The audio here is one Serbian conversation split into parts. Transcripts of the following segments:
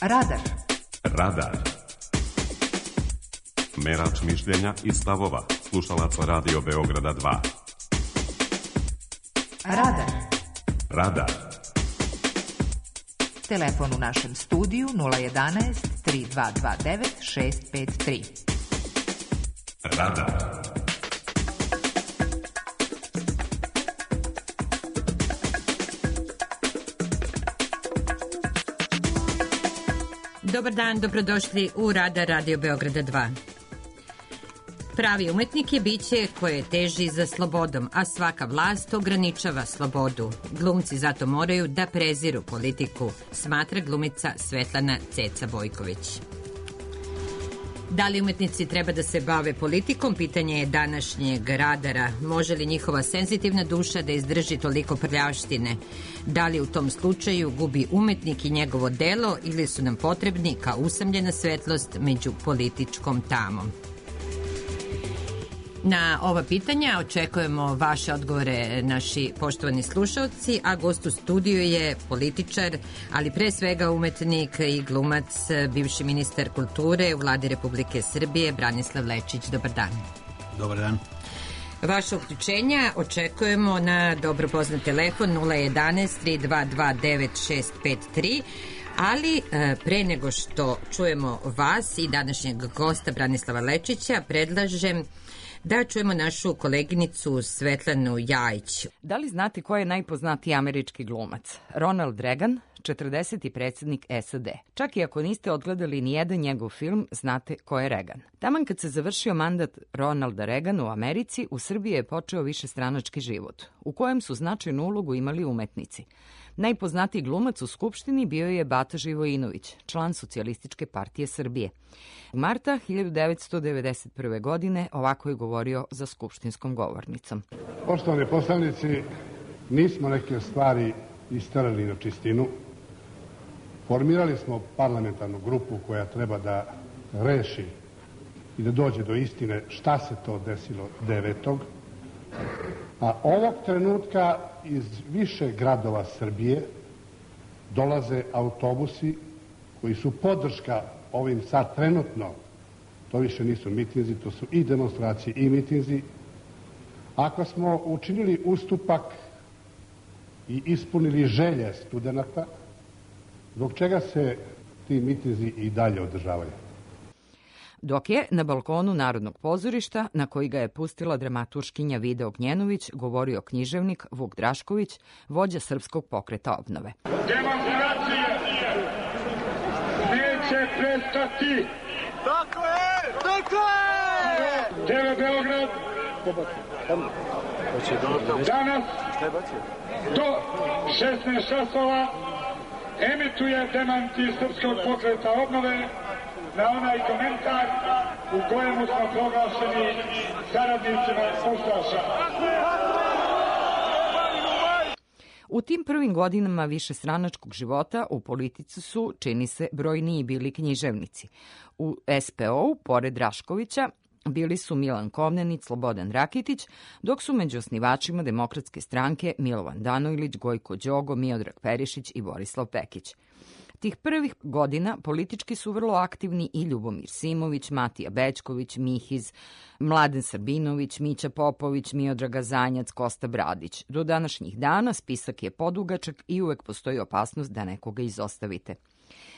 Radar. Radar. Merač mišljenja i stavova slušalaca Radio Beograda 2. Radar. Radar. Telefon u našem studiju 011 3229 653. Radar. Dobar dan, dobrodošli u Radar Radio Beograda 2. Pravi umetnik je biće koje teži za slobodom, a svaka vlast ograničava slobodu. Glumci zato moraju da preziru politiku, smatra glumica Svetlana Ceca Bojković. Da li umetnici treba da se bave politikom, pitanje je današnjeg Radara. Može li njihova senzitivna duša da izdrži toliko prljavštine? Da li u tom slučaju gubi umetnik i njegovo delo ili su nam potrebni kao usamljena svetlost među političkom tamom? Na ova pitanja očekujemo vaše odgovore, naši poštovani slušalci, a gost u studiju je političar, ali pre svega umetnik i glumac, bivši ministar kulture u Vladi Republike Srbije, Branislav Lečić. Dobar dan. Dobar dan. Vaše uključenja očekujemo na dobro poznat telefon 011 3229 653, ali pre nego što čujemo vas i današnjeg gosta Branislava Lečića, predlažem da čujemo našu koleginicu Svetlanu Jajić. Da li znate ko je najpoznatiji američki glumac? Ronald Reagan, 40. predsjednik SAD. Čak i ako niste odgledali ni jedan njegov film, znate ko je Reagan. Taman kad se završio mandat Ronalda Reagana u Americi, u Srbiji je počeo višestranački život, u kojem su značajnu ulogu imali umetnici. Najpoznatiji glumac u Skupštini bio je Bata Živojinović, član Socijalističke partije Srbije. U marta 1991. godine ovako je govorio za skupštinskom govornicom. Poštovani poslanici, nismo neke stvari isterali na čistinu. Formirali smo parlamentarnu grupu koja treba da reši i da dođe do istine šta se to desilo 9. A ovog trenutka iz više gradova Srbije dolaze autobusi koji su podrška ovim sad trenutno, to više nisu mitinzi, to su i demonstracije i mitinzi. Ako smo učinili ustupak i ispunili želje studenata, zbog čega se ti mitinzi i dalje održavaju? Dok je na balkonu Narodnog pozorišta, na koji ga je pustila dramaturškinja Vida Ognjenović, govorio književnik Vuk Drašković, vođa Srpskog pokreta obnove. Demonstracije neće prestati. Tako je! Tako je! TV Beograd danas do 16 časova emituje demanti Srpskog pokreta obnove na onaj komentar u kojemu smo proglašeni saradnicima ustaša. U tim prvim godinama višestranačkog života u politici su, čini se, brojniji bili književnici. U SPO-u, pored Draškovića, bili su Milan Komnenić, Slobodan Rakitić, dok su među osnivačima Demokratske stranke Milovan Danojlić, Gojko Đogo, Miodrag Perišić i Borislav Pekić. Tih prvih godina politički su vrlo aktivni i Ljubomir Simović, Matija Bećković, Mihiz, Mladen Srbinović, Mića Popović, Miodraga Zanjac, Kosta Bradić. Do današnjih dana spisak je podugačak i uvek postoji opasnost da nekoga izostavite.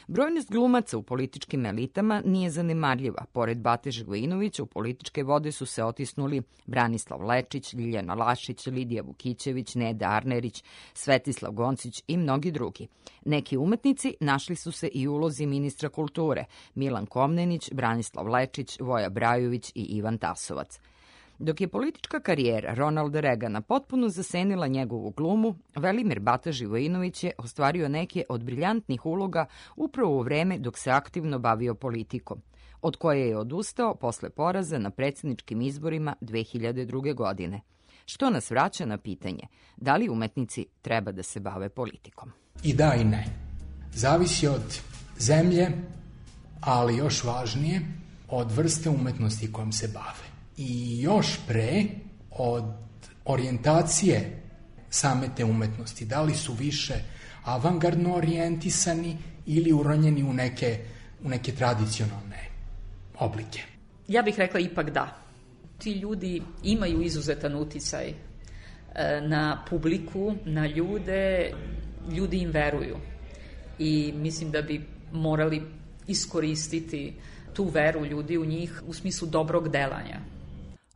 Brojnost glumaca u političkim elitama nije zanemarljiva. Pored Bate Živojinovića u političke vode su se otisnuli Branislav Lečić, Ljiljana Lašić, Lidija Vukićević, Neda Arnerić, Svetislav Goncić i mnogi drugi. Neki umetnici našli su se i u ulozi ministra kulture, Milan Komnenić, Branislav Lečić, Voja Brajović i Ivan Tasovac. Dok je politička karijera Ronalda Reagana potpuno zasenila njegovu glumu, Velimir Bata Živojinović je ostvario neke od briljantnih uloga upravo u vreme dok se aktivno bavio politikom, od koje je odustao posle poraza na predsjedničkim izborima 2002. godine. Što nas vraća na pitanje, da li umetnici treba da se bave politikom? I da i ne. Zavisi od zemlje, ali još važnije, od vrste umetnosti kojom se bave. I još pre od orijentacije same te umetnosti, da li su više avangardno orijentisani ili uronjeni u neke tradicionalne oblike? Ja bih rekla ipak da. Ti ljudi imaju izuzetan uticaj na publiku, na ljude, ljudi im veruju. I mislim da bi morali iskoristiti tu veru ljudi u njih u smislu dobrog delanja.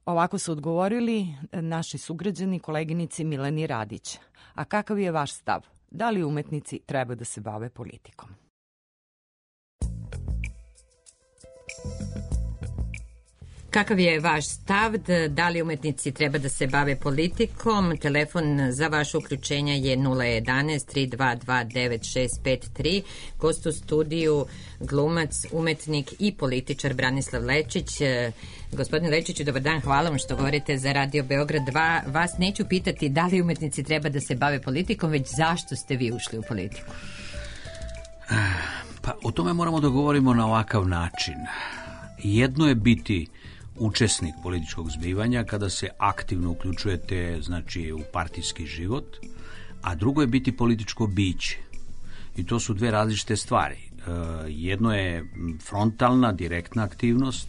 Ovako su odgovorili naši sugrađani koleginici Mileni Radić. A kakav je vaš stav? Da li umetnici treba da se bave politikom? Kakav je vaš stav? Da li umetnici treba da se bave politikom? Telefon za vaše uključenja je 011 322 9653. Gost u studiju glumac, umetnik i političar Branislav Lečić. Gospodine Lečiću, dobar dan, hvala vam što govorite za Radio Beograd 2. Vas neću pitati da li umetnici treba da se bave politikom, već zašto ste vi ušli u politiku? Pa o tome moramo da govorimo na ovakav način. Jedno je biti učesnik političkog zbivanja kada se aktivno uključujete, znači, u partijski život, a drugo je biti političko biće. I to su dve različite stvari. Jedno je frontalna, direktna aktivnost,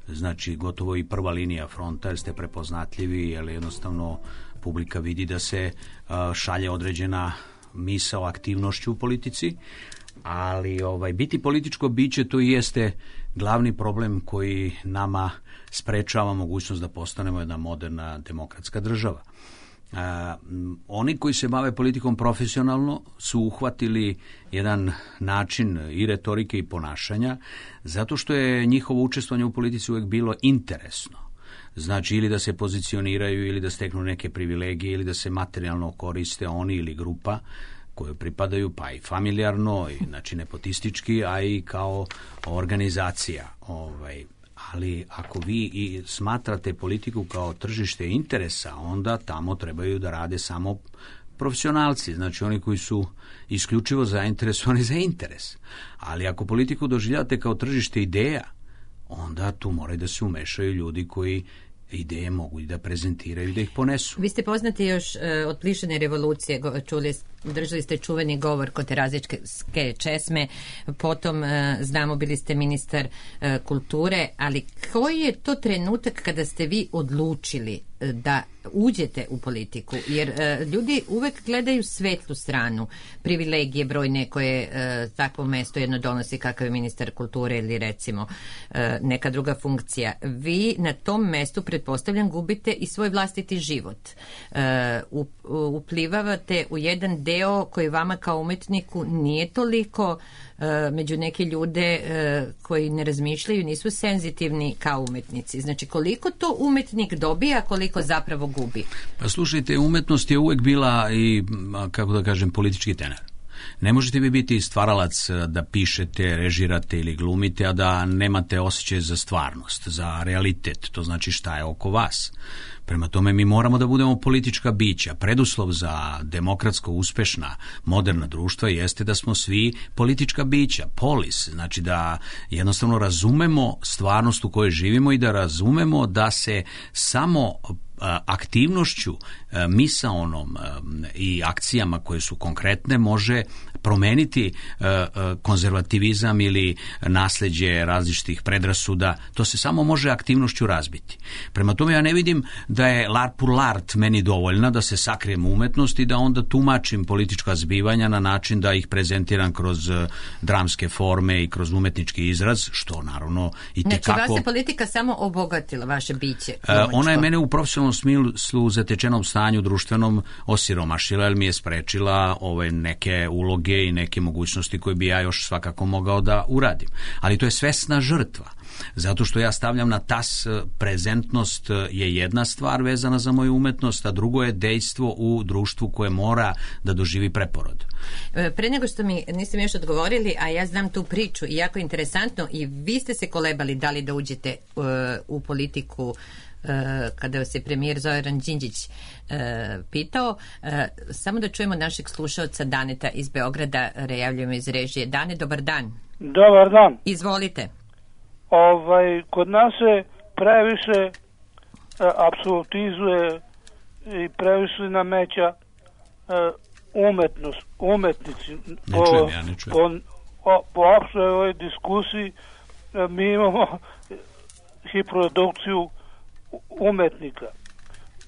znači gotovo i prva linija fronta, jer ste prepoznatljivi, jer jednostavno publika vidi da se šalje određena misao aktivnošću u politici, ali biti političko biće to i jeste glavni problem koji nama sprečava mogućnost da postanemo jedna moderna demokratska država. Oni koji se bave politikom profesionalno su uhvatili jedan način i retorike i ponašanja zato što je njihovo učestvovanje u politici uvek bilo interesno. Znači ili da se pozicioniraju ili da steknu neke privilegije ili da se materijalno koriste oni ili grupa koje pripadaju, pa i familijarno, znači nepotistički, a i kao organizacija. Ali ako vi i smatrate politiku kao tržište interesa, onda tamo trebaju da rade samo profesionalci, znači oni koji su isključivo zainteresovani za interes. Ali ako politiku doživljavate kao tržište ideja, onda tu moraju da se umešaju ljudi koji ideje mogu i da prezentiraju, da ih ponesu. Vi ste poznati još od lišene revolucije, držali ste čuveni govor kod Terazijske česme, potom znamo bili ste ministar kulture, ali koji je to trenutak kada ste vi odlučili da uđete u politiku? Jer ljudi uvek gledaju svetlu stranu, privilegije brojne koje takvo mesto jedno donosi, kakav je ministar kulture ili recimo neka druga funkcija. Vi na tom mestu, pretpostavljam, gubite i svoj vlastiti život. Uplivavate u jedan deo koji vama kao umetniku nije toliko među neke ljude koji ne razmišljaju, nisu senzitivni kao umetnici. Znači, koliko to umetnik dobija, koliko zapravo gubi? Pa slušajte, umetnost je uvek bila i, kako da kažem, politički tener. Ne možete vi biti stvaralac da pišete, režirate ili glumite, a da nemate osjećaj za stvarnost, za realitet, to znači šta je oko vas. Prema tome mi moramo da budemo politička bića. Preduslov za demokratsko, uspešna, moderna društva jeste da smo svi politička bića, polis, znači da jednostavno razumemo stvarnost u kojoj živimo i da razumemo da se samo aktivnošću, misaonom i akcijama koje su konkretne može promeniti konzervativizam ili nasleđe različitih predrasuda. To se samo može aktivnošću razbiti. Prema tome ja ne vidim da je l'art pour l'art meni dovoljna da se sakrijem u umetnost i da onda tumačim politička zbivanja na način da ih prezentiram kroz dramske forme i kroz umetnički izraz, što naravno i tekako... Znači vas je politika samo obogatila vaše biće? Ona je mene u profesionalnom smislu zatečenom stanju društvenom osiromašila, jer mi je sprečila neke uloge i neke mogućnosti koje bi ja još svakako mogao da uradim. Ali to je svesna žrtva. Zato što ja stavljam na tas prezentnost je jedna stvar vezana za moju umetnost, a drugo je dejstvo u društvu koje mora da doživi preporod. Pre nego što niste mi još odgovorili, a ja znam tu priču i jako interesantno, i vi ste se kolebali da li da uđete u politiku kada vas je premijer Zoran Đinđić pitao. Samo da čujemo našeg slušaoca Daneta iz Beograda, rejavljujemo iz režije. Dane, dobar dan. Dobar dan. Izvolite. Kod nas se previše apsolutizuje i previše nameća umetnici Ne čujem. Po opštoj ovoj diskusiji mi imamo hiprodukciju umetnika.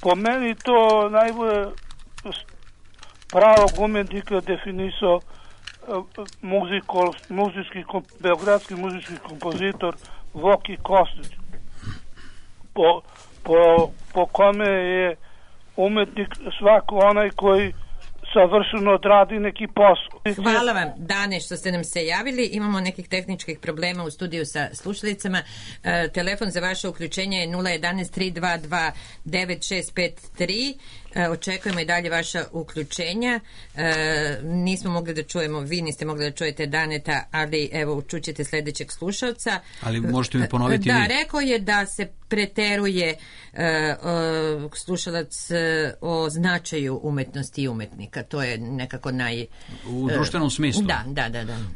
Po meni to najbolje pravog umetnika definisao beogradski muzički kompozitor Voki Kostić, po kome je umetnik svako onaj koji savršeno odradi neki posao. Hvala vam, Dane, što ste nam se javili. Imamo nekih tehničkih problema u studiju sa slušalicama. Telefon za vaše uključenje je 011 322 9653. Očekujemo i dalje vaša uključenja. Nismo mogli da čujemo, vi niste mogli da čujete Daneta, ali evo, čućete sledećeg slušalca. Ali možete mi ponoviti da, vi? rekao je da se preteruje slušalac o značaju umetnosti i umetnika. To je nekako u društvenom smislu? Da.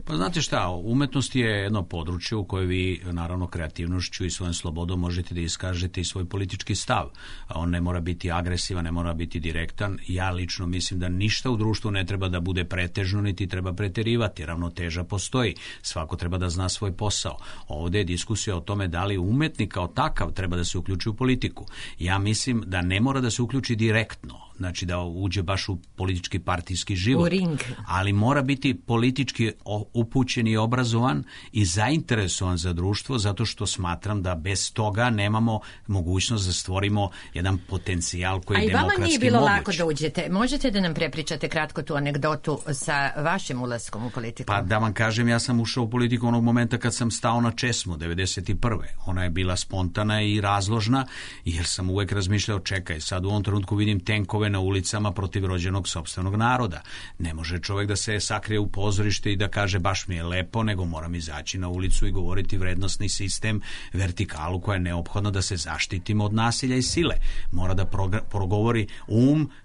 Pa znate šta, umetnost je jedno područje u koje vi, naravno, kreativnošću i svojom slobodom možete da iskažete i svoj politički stav. On ne mora biti agresivan, ne mora biti direktan. Ja lično mislim da ništa u društvu ne treba da bude pretežno, niti treba preterivati. Ravnoteža postoji. Svako treba da zna svoj posao. Ovde je diskusija o tome da li umetnik kao takav treba da se uključi u politiku. Ja mislim da ne mora da se uključi direktno, znači da uđe baš u politički partijski život. U ring. Ali mora biti politički upućen i obrazovan i zainteresovan za društvo, zato što smatram da bez toga nemamo mogućnost da stvorimo jedan potencijal koji je demokratski moguć. A i vama nije bilo lako da uđete. Možete da nam prepričate kratko tu anegdotu sa vašim ulaskom u politiku? Pa da vam kažem, ja sam ušao u politiku onog momenta kad sam stao na česmu, 91. Ona je bila spontana i razložna, jer sam uvek razmišljao, čekaj, sad u ovom trenutku vidim tenkove na ulicama protiv rođenog sopstvenog naroda. Ne može čovjek da se sakrije u pozorište i da kaže baš mi je lepo, nego moram izaći na ulicu i govoriti vrednosni sistem, vertikalu koja je neophodna da se zaštitimo od nasilja i sile. Mora da progovori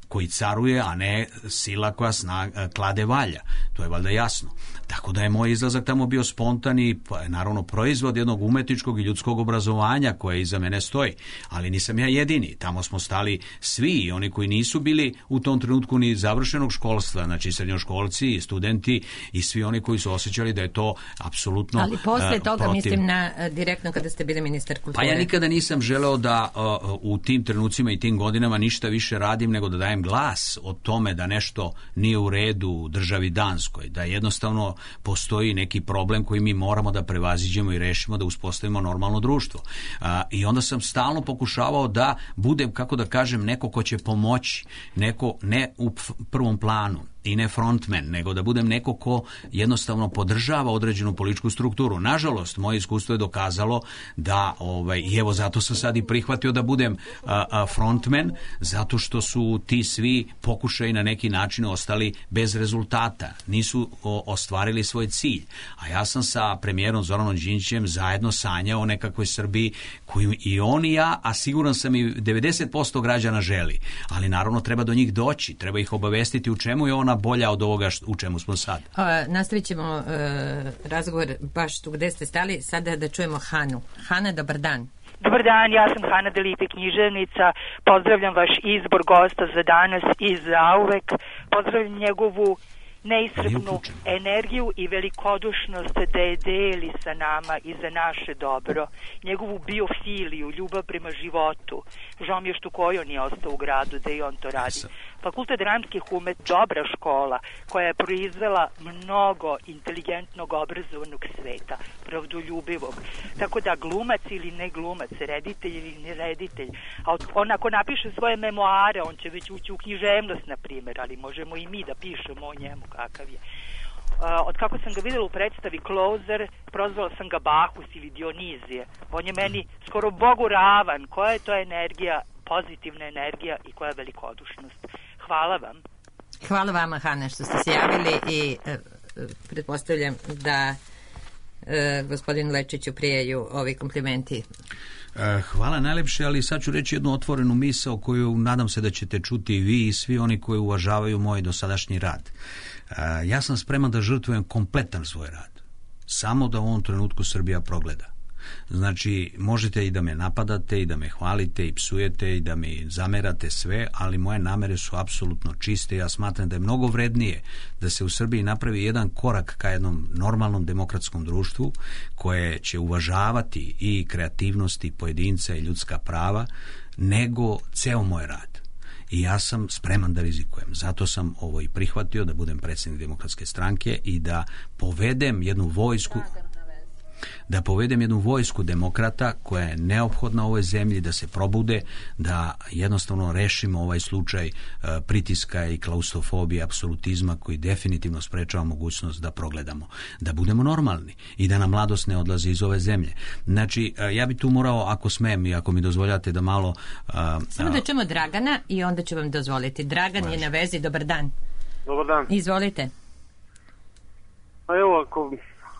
koji caruje, a ne sila koja klade valja. To je valjda jasno. Tako da je moj izlazak tamo bio spontan i naravno proizvod jednog umetničkog i ljudskog obrazovanja koje iza mene stoji. Ali nisam ja jedini. Tamo smo stali svi i oni koji nisu bili u tom trenutku ni završenog školstva, znači srednjoškolci i studenti i svi oni koji su osjećali da je to apsolutno ali posle toga protiv... mislim na direktno kada ste bili ministar kulture. Pa ja nikada nisam želeo da u tim trenucima i tim godinama ništa više radim nego da dajem glas o tome da nešto nije u redu u državi Danskoj, da jednostavno postoji neki problem koji mi moramo da prevaziđemo i rešimo, da uspostavimo normalno društvo. I onda sam stalno pokušavao da budem, kako da kažem, neko ko će pomoći, neko ne u prvom planu i ne frontman, nego da budem neko ko jednostavno podržava određenu političku strukturu. Nažalost, moje iskustvo je dokazalo da, i evo zato sam sad i prihvatio da budem frontman, zato što su ti svi pokušaji na neki način ostali bez rezultata. Nisu ostvarili svoj cilj. A ja sam sa premijerom Zoranom Đinđićem zajedno sanjao o nekakvoj Srbiji koju i on i ja, a siguran sam i 90% građana želi. Ali naravno treba do njih doći, treba ih obavestiti u čemu je ona bolja od ovoga u čemu smo sad. Nastavit ćemo razgovor baš tu gde ste stali. Sada da čujemo Hanu. Hana, dobar dan. Dobar dan, ja sam Hana Delipe, književnica. Pozdravljam vaš izbor gosta za danas i zauvek. Pozdravljam njegovu neiscrpnu energiju i velikodušnost da je deli sa nama i za naše dobro, njegovu biofiliju, ljubav prema životu. Žao mi je što Kojo nije ostao u gradu da i on to radi. Fakultet dramskih umetnosti, dobra škola koja je proizvela mnogo inteligentnog, obrazovanog sveta, pravdoljubivog. Tako da glumac ili ne glumac, reditelj ili ne reditelj, a on ako napiše svoje memoare, on će već ući u književnost, na primjer, ali možemo i mi da pišemo o njemu kakav je. Od kako sam ga videla u predstavi Closer, prozvala sam ga Bahus ili Dionizije. On je meni skoro Bogu ravan. Koja je to energija, pozitivna energija i koja je velikodušnost. Hvala vam. Hvala vama, Hana, što ste se javili i pretpostavljam da gospodinu Lečiću prijaju ovi komplimenti. Hvala najlepše, ali sad ću reći jednu otvorenu misao koju nadam se da ćete čuti i vi i svi oni koji uvažavaju moj dosadašnji rad. Ja sam spreman da žrtvujem kompletan svoj rad. Samo da u ovom trenutku Srbija progleda. Znači, možete i da me napadate, i da me hvalite, i psujete, i da mi zamerate sve, ali moje namere su apsolutno čiste. Ja smatram da je mnogo vrednije da se u Srbiji napravi jedan korak ka jednom normalnom demokratskom društvu koje će uvažavati i kreativnosti pojedinca i ljudska prava, nego ceo moj rad. I ja sam spreman da rizikujem. Zato sam ovo i prihvatio, da budem predsjednik Demokratske stranke i da povedem jednu vojsku demokrata koja je neophodna u ovoj zemlji, da se probude, da jednostavno rešimo ovaj slučaj pritiska i klaustrofobije, apsolutizma koji definitivno sprečava mogućnost da progledamo, da budemo normalni i da nam mladost ne odlazi iz ove zemlje. Znači, ja bi tu morao, ako smem i ako mi dozvoljate da malo... Samo da čujemo Dragana i onda ću vam dozvoliti. Dragan je na vezi, dobar dan. Dobar dan. Izvolite. A evo,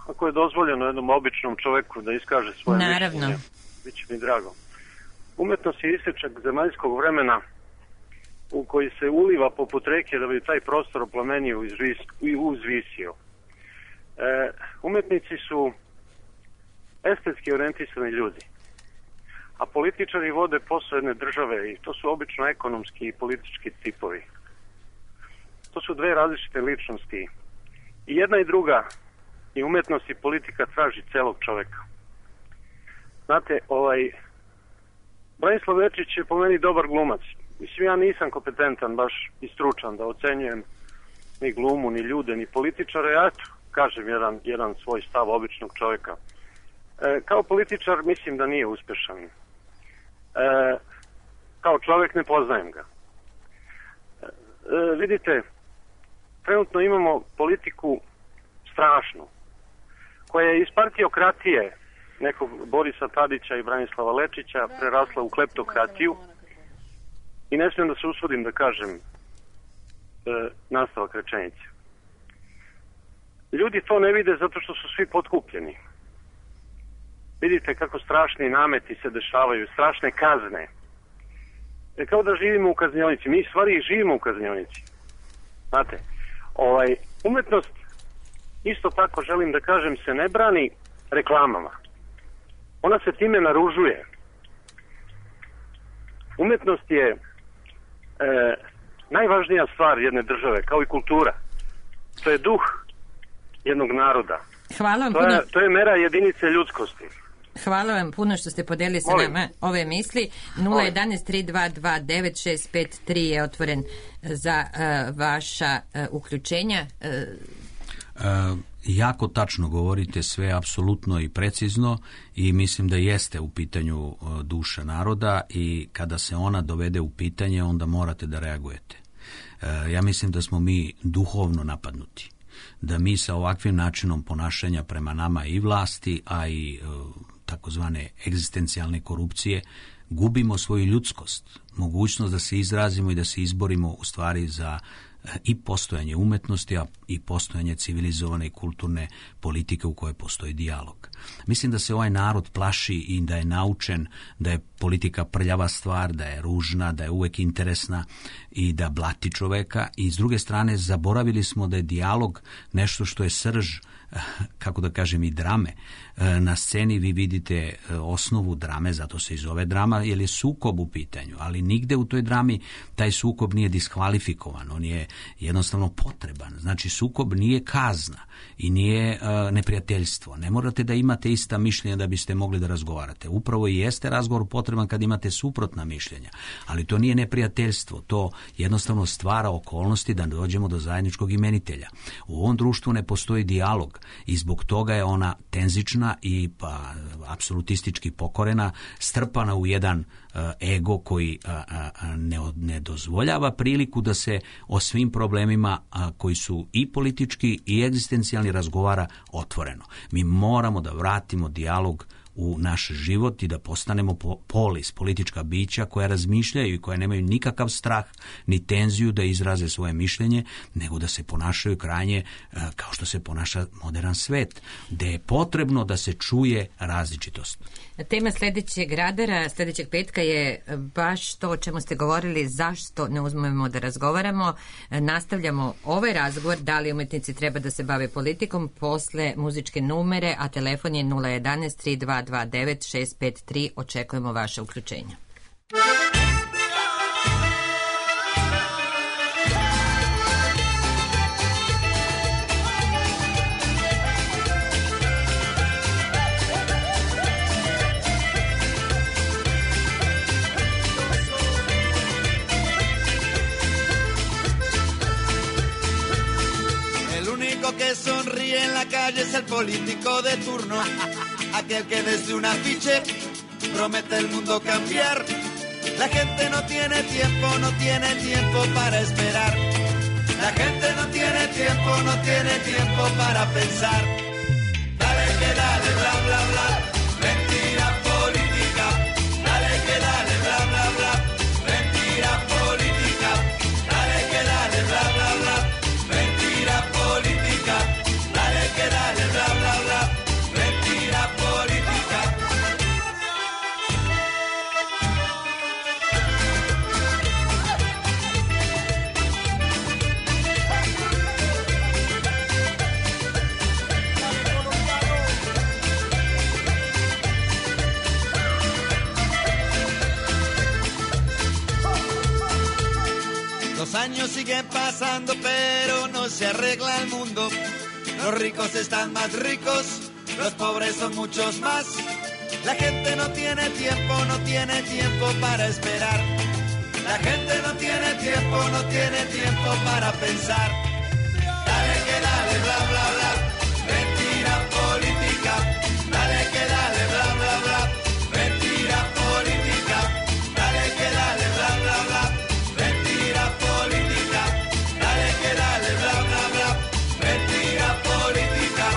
ako je dozvoljeno jednom običnom čoveku da iskaže svoje mišljenje, bit će mi drago. Umetnost je isječak zemaljskog vremena u koji se uliva poput reke da bi taj prostor oplemenio i uzvisio. Umetnici su estetski orijentisani ljudi, a političari vode posao jedne države i to su obično ekonomski i politički tipovi. To su dve različite ličnosti i jedna i druga, i umetnost i politika, traži celog čoveka. Znate, Branislav Lečić je po meni dobar glumac. Mislim, ja nisam kompetentan baš i stručan da ocenjujem ni glumu, ni ljude, ni političare. Ja kažem jedan svoj stav običnog čoveka. Kao političar mislim da nije uspešan. Kao čovek ne poznajem ga. Vidite, trenutno imamo politiku strašnu, koja je iz partiokratije nekog Borisa Tadića i Branislava Lečića prerasla u kleptokratiju i ne smijem da se usudim da kažem nastavak rečenice. Ljudi to ne vide zato što su svi potkupljeni. Vidite kako strašni nameti se dešavaju, strašne kazne. Kao da živimo u kaznionici. Mi stvari i živimo u kaznionici. Znate, umetnost, isto tako želim da kažem, se ne brani reklamama. Ona se time naružuje. Umetnost je najvažnija stvar jedne države, kao i kultura. To je duh jednog naroda. Hvala vam puno. To je mera jedinice ljudskosti. Hvala vam puno što ste podelili sa nama ove misli. 011-322-9653 je otvoren za vaša uključenja. Jako tačno govorite, sve apsolutno i precizno, i mislim da jeste u pitanju duša naroda, i kada se ona dovede u pitanje, onda morate da reagujete. Ja mislim da smo mi duhovno napadnuti, da mi sa ovakvim načinom ponašanja prema nama i vlasti, a i takozvane egzistencijalne korupcije, gubimo svoju ljudskost, mogućnost da se izrazimo i da se izborimo u stvari za i postojanje umetnosti, a i postojanje civilizovane i kulturne politike u kojoj postoji dijalog. Mislim da se ovaj narod plaši i da je naučen da je politika prljava stvar, da je ružna, da je uvek interesna i da blati čoveka, i s druge strane zaboravili smo da je dijalog nešto što je srž, kako da kažem, i drame. Na sceni vi vidite osnovu drame, zato se i zove drama, jer je sukob u pitanju, ali nigde u toj drami taj sukob nije diskvalifikovan, on je jednostavno potreban. Znači, sukob nije kazna i nije neprijateljstvo. Ne morate da imate ista mišljenja da biste mogli da razgovarate. Upravo i jeste razgovor potreban kad imate suprotna mišljenja, ali to nije neprijateljstvo, to jednostavno stvara okolnosti da dođemo do zajedničkog imenitelja. U ovom društvu ne postoji dijalog i zbog toga je ona tenzična i apsolutistički pokorena, strpana u jedan ego koji ne dozvoljava priliku da se o svim problemima koji su i politički i egzistencijalni razgovara otvoreno. Mi moramo da vratimo dijalog u naš život i da postanemo polis, politička bića koja razmišljaju i koja nemaju nikakav strah ni tenziju da izraze svoje mišljenje, nego da se ponašaju krajnje kao što se ponaša modern svet, gde je potrebno da se čuje različitost. Tema sljedećeg radara, sljedećeg petka je baš to o čemu ste govorili, zašto ne uzmemo da razgovaramo. Nastavljamo ovaj razgovor, da li umetnici treba da se bave politikom, posle muzičke numere, a telefon je 011-322 229 653. Očekujemo vaše uključenja. Que sonríe en la calle es el político de turno, aquel que desde un afiche promete el mundo cambiar. La gente no tiene tiempo para esperar. La gente no tiene tiempo para pensar. Dale que dale, bla bla bla, mentira política. Dale que dale, bla bla bla, mentira política. Dale que dale, bla bla bla, mentira política. Dale que dale, bla bla bla, mentira política. Los años siguen pasando, pero no se arregla el mundo. Los ricos están más ricos, los pobres son muchos más. La gente no tiene tiempo para esperar. La gente no tiene tiempo para pensar. Dale que dale, bla bla bla, mentira política. Dale que dale, bla bla bla, mentira política. Dale que dale, bla bla bla, mentira política. Dale que dale, bla bla bla, mentira política.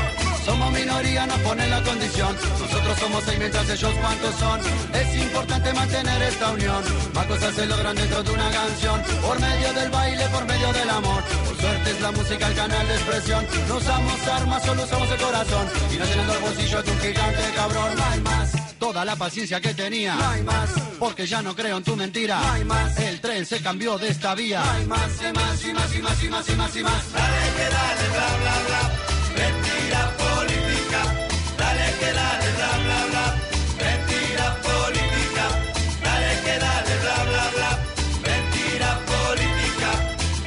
Somos minoría, nos ponen la condición. Nosotros somos 6 mientras ellos cuántos son. Es importante mantener esta unión. Más cosas se logran dentro de una canción. Por medio del baile, por medio del amor. Por suerte es la música el canal de expresión. No usamos armas, solo usamos el corazón. Y no llenando el bolsillo de un gigante cabrón. No hay más. Toda la paciencia que tenía. No hay más. Porque ya no creo en tu mentira. No hay más. El tren se cambió de esta vía. No hay más, y más, y más, y más, y más, y más, y más. Dale que dale, bla, bla, bla. Mentira política. Dale que dale, bla, bla, bla. Mentira política. Dale que dale, bla, bla, bla. Mentira política.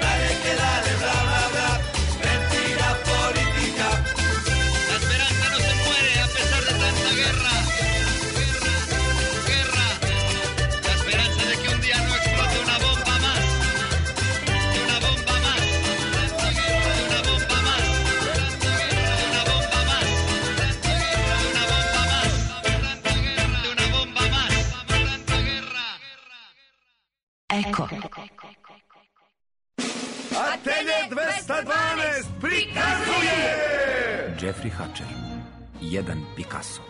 Dale que dale, bla, bla, bla. Mentira política. La esperanza no se muere a pesar de tanta guerra. Guerra. La esperanza de que un día no explote una bomba más. Una bomba más. Una bomba más. Una bomba más. Una bomba más. Una bomba más. Eko. Atelje 212 prikazuje! Jeffrey Hatcher, jedan Picasso.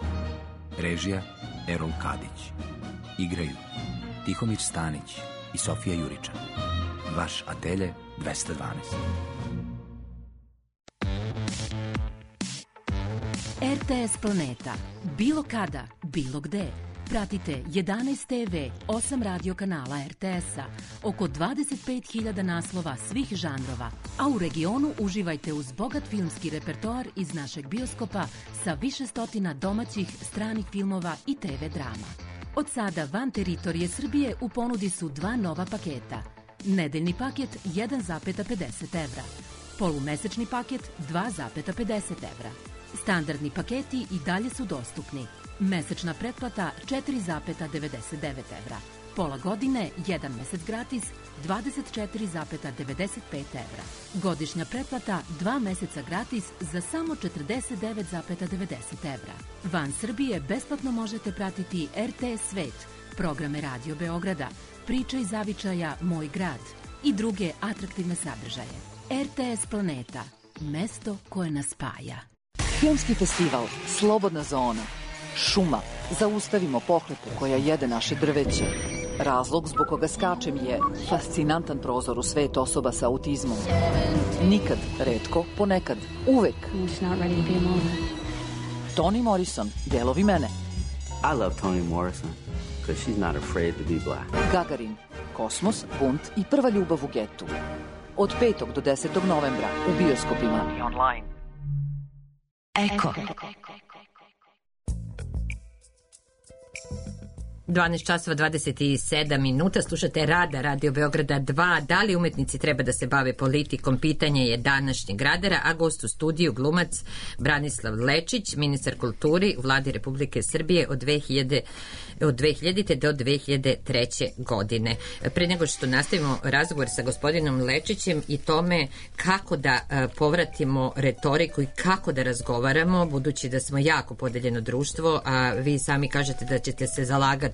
Režija Erol Kadić. Igraju Tihomir Stanić i Sofija Juričan. Vaš Atelje 212. RTS Planeta. Bilo kada, bilo gde. Pratite 11 TV, 8 radio kanala RTS-a, oko 25.000 naslova svih žanrova, a u regionu uživajte uz bogat filmski repertoar iz našeg bioskopa sa više stotina domaćih, stranih filmova i TV drama. Od sada van teritorije Srbije u ponudi su 2 nova paketa. Nedeljni paket 1,50 evra, polumesečni paket 2,50 evra. Standardni paketi i dalje su dostupni. Mesečna pretplata 4,99 evra. Pola godine, 1 mesec gratis, 24,95 evra. Godišnja pretplata 2 meseca gratis za samo 49,90 evra. Van Srbije besplatno možete pratiti RTS Svet, programe Radio Beograda, Priče iz zavičaja Moj grad i druge atraktivne sadržaje. RTS Planeta, mesto koje nas spaja. Filmski festival Slobodna zona. Šuma. Zaustavimo pohlepu koja jede naše drveće. Razlog zbog koga skačem je fascinantan prozor u svet osoba sa autizmom. Nikad, retko, ponekad, uvek. Toni Morrison, delovi mene. I love Toni Morrison because she's not afraid to be black. Gagarin, kosmos, bunt i prva ljubav u getu. Od 5. do 10. novembra u bioskopima i online. Eko. 12 časova 27 minuta, slušate Rada Radio Beograda 2. Da li umetnici treba da se bave politikom? Pitanje je današnjeg radara, a gost u studiju glumac Branislav Lečić, ministar kulturi u Vladi Republike Srbije od 2000. do 2003. godine. Pre nego što nastavimo razgovor sa gospodinom Lečićem i tome kako da povratimo retoriku i kako da razgovaramo, budući da smo jako podeljeno društvo, a vi sami kažete da ćete se zalagati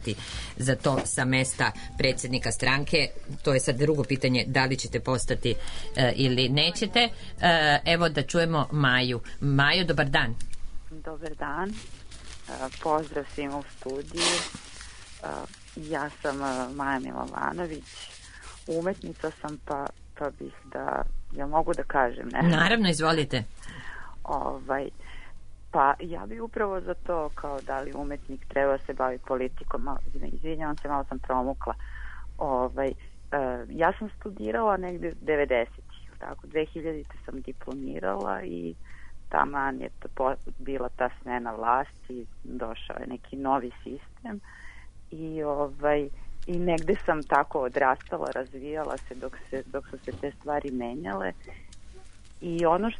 za to sa mesta predsjednika stranke. To je sad drugo pitanje, da li ćete postati ili nećete. Evo da čujemo Maju. Majo, dobar dan. Dobar dan. Pozdrav svima u studiju. Ja sam Maja Milovanović. Umetnica sam, pa bih da... Ja mogu da kažem nešto? Naravno, izvolite. Pa ja bi upravo za to, kao da li umetnik treba se baviti politikom. Izvinjavam se, malo sam promukla. Ja sam studirala negde 90-ih, tako, 2000 sam diplomirala i taman je bila ta smena vlasti, došao je neki novi sistem i negde sam tako odrastala, razvijala se dok su se te stvari menjale i ono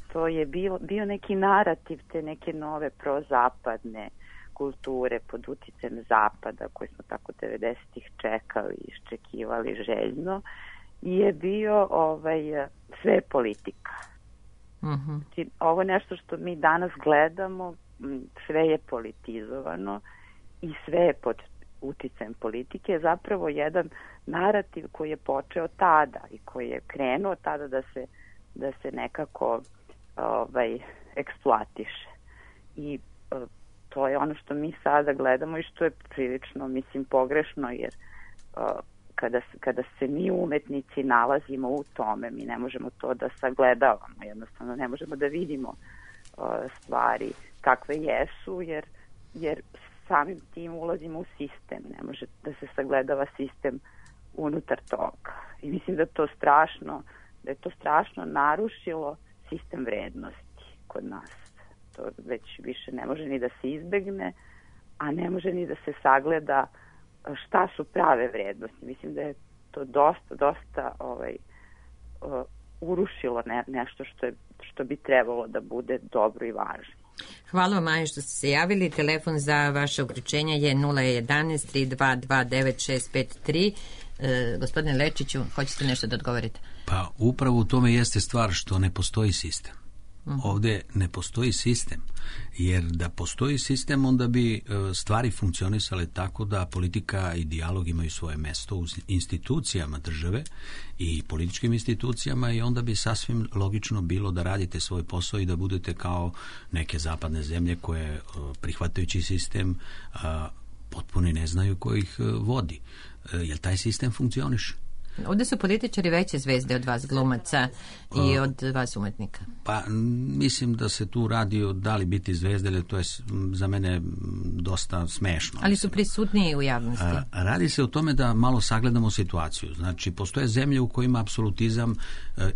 što je bio neki narativ te neke nove prozapadne kulture pod uticajem zapada koje smo tako 90-ih čekali, iščekivali željno, je bio sve politika. Znači, ovo je nešto što mi danas gledamo, sve je politizovano i sve je pod uticajem politike, je zapravo jedan narativ koji je počeo tada i koji je krenuo tada da se nekako eksploatiše. I to je ono što mi sada gledamo i što je prilično, mislim, pogrešno, jer kada se mi umetnici nalazimo u tome, mi ne možemo to da sagledavamo, jednostavno ne možemo da vidimo stvari kakve jesu, jer samim tim ulazimo u sistem, ne može da se sagledava sistem unutar toga. I mislim da je to strašno narušilo sistem vrednosti kod nas. To već više ne može ni da se izbegne, a ne može ni da se sagleda šta su prave vrednosti. Mislim da je to dosta urušilo nešto što bi trebalo da bude dobro i važno. Hvala vam, Maja, što ste se javili. Telefon za vaše uključenje je 011-3229-653. Gospodine Lečiću, hoćete nešto da odgovorite? Pa upravo u tome jeste stvar što ne postoji sistem. Ovdje ne postoji sistem, jer da postoji sistem onda bi stvari funkcionisale tako da politika i dijalog imaju svoje mesto u institucijama države i političkim institucijama i onda bi sasvim logično bilo da radite svoj posao i da budete kao neke zapadne zemlje koje prihvatajući sistem potpuno ne znaju ko ih vodi. Jer taj sistem funkcioniše. Ovdje su političari veće zvezde od vas glumaca i od vas umetnika. Pa mislim da se tu radi o da li biti zvezde, ali to je za mene dosta smešno. Ali su prisutniji u javnosti. Radi se o tome da malo sagledamo situaciju. Znači, postoje zemlje u kojima apsolutizam